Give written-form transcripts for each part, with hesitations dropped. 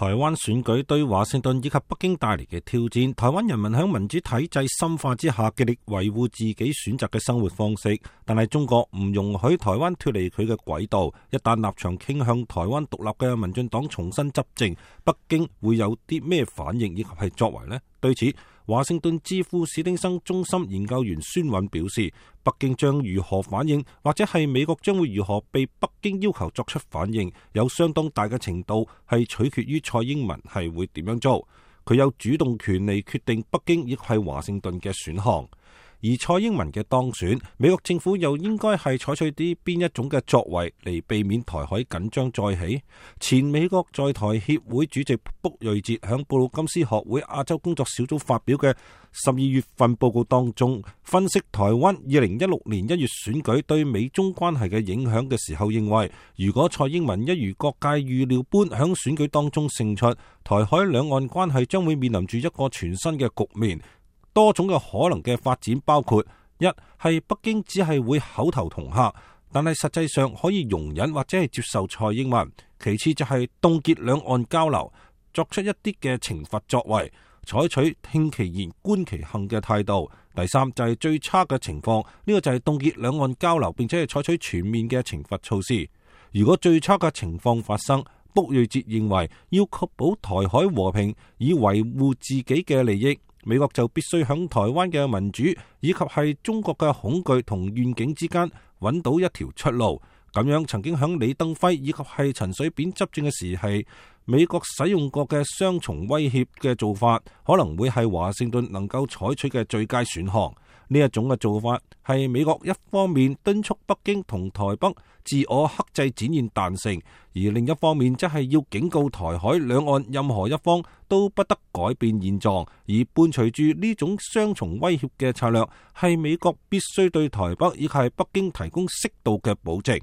台灣選舉對華盛頓以及北京帶嚟嘅挑戰，台灣人民喺民主體制深化之下，極力維護自己選擇嘅生活方式。但係中國唔容許台灣脫離佢嘅軌道，一旦立場傾向台灣獨立嘅民進黨重新執政，北京會有啲咩反應以及係作為呢？對此，華盛頓智庫史丁生中心研究員孫韻表示，北京將如何反應，或者係美國將會如何被北京要求作出反應，有相當大嘅程度係取決於蔡英文係會點樣做。佢有主動權嚟決定北京亦係華盛頓嘅選項。而蔡英文嘅當選，美國政府又應該係採取啲邊一種嘅作為嚟避免台海緊張再起？前美國在台協會主席卜瑞哲響布魯金斯學會亞洲工作小組發表嘅12月份報告當中，分析台灣2016年1月選舉對美中關係嘅影響嘅時候，認為如果蔡英文一如各界預料般響選舉當中勝出，台海兩岸關係將會面臨住一個全新嘅局面。多種嘅可能嘅發展包括：一係北京只係會口頭恫嚇，但係實際上可以容忍或者係接受蔡英文；其次就係凍結兩岸交流，作出一啲嘅懲罰作為，採取聽其言觀其行嘅態度；第三就係最差嘅情況，呢個就係凍結兩岸交流，並且係採取全面嘅懲罰措施。如果最差嘅情況發生，卜瑞哲認為要確保台海和平，以維護自己嘅利益，美國就必須響台灣嘅民主以及係中國嘅恐懼同願景之間揾到一條出路。咁樣曾經響李登輝以及係陳水扁執政嘅時係美國使用過嘅雙重威脅嘅做法，可能會係華盛頓能夠採取嘅最佳選項。呢一種嘅做法係美國一方面敦促北京同台北自我克制展現彈性，而另一方面則係要警告台海兩岸任何一方都不得改變現狀，而伴隨住呢種雙重威脅嘅策略，係美國必須對台北以及係北京提供適度嘅保證。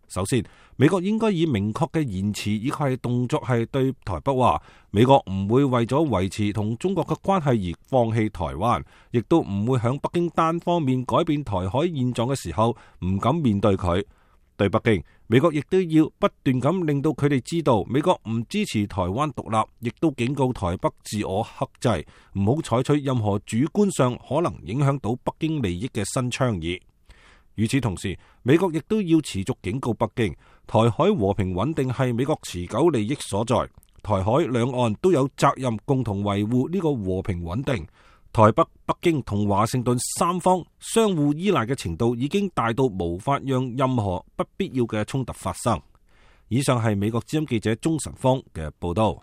首先，美國應該以明確嘅言辭以及係動作係對台北話，美國唔會為咗維持同中國嘅關係而放棄台灣，亦都唔會響北京單方面改變台海現狀嘅時候唔敢面對佢。對北京，美國亦都要不斷咁令到佢哋知道，美國唔支持台灣獨立，亦都警告台北自我克制，唔好採取任何主觀上可能影響到北京利益嘅新倡議。與此同時，美國亦都要持續警告北京，台海和平穩定係美國持久利益所在，台海兩岸都有責任共同維護呢個和平穩定。台北、北京同華盛頓三方相互依賴嘅程度已經大到無法讓任何不必要嘅衝突發生。以上係美國之音記者鍾晨芳嘅報道。